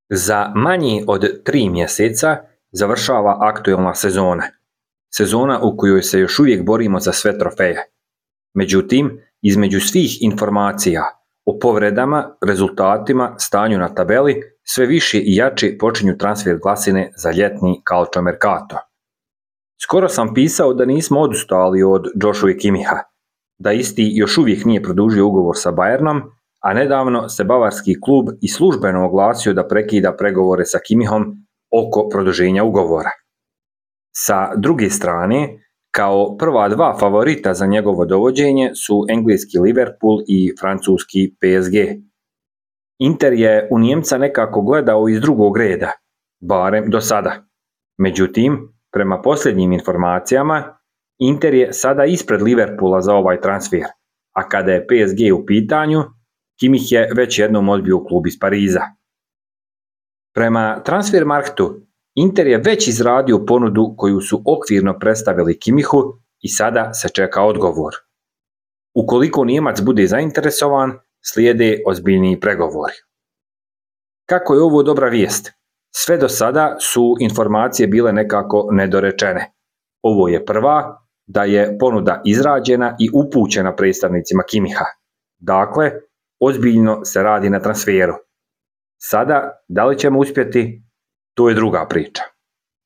Za manje od 3 mjeseca završava aktuelna sezona. Sezona u kojoj se još uvijek borimo za sve trofeje. Međutim, između svih informacija o povredama, rezultatima, stanju na tabeli, sve više i jače počinju transfer glasine za ljetni calciomercato. Skoro sam pisao da nismo odustali od Joshua Kimmicha, da isti još uvijek nije produžio ugovor sa Bayernom, a nedavno se bavarski klub i službeno oglasio da prekida pregovore sa Kimmichom oko produženja ugovora. Sa druge strane, kao prva dva favorita za njegovo dovođenje su engleski Liverpool i francuski PSG. Inter je u Njemca nekako gledao iz drugog reda, barem do sada. Međutim, prema posljednjim informacijama, Inter je sada ispred Liverpoola za ovaj transfer, a kada je PSG u pitanju, Kimmich je već jednom odbio klub iz Pariza. Prema Transfermarktu, Inter je već izradio ponudu koju su okvirno predstavili Kimmichu i sada se čeka odgovor. Ukoliko Nijemac bude zainteresovan, slijede ozbiljniji pregovori. Kako je ovo dobra vijest? Sve do sada su informacije bile nekako nedorečene. Ovo je prva, da je ponuda izrađena i upućena predstavnicima Kimmicha. Dakle, ozbiljno se radi na transferu. Sada, da li ćemo uspjeti, to je druga priča.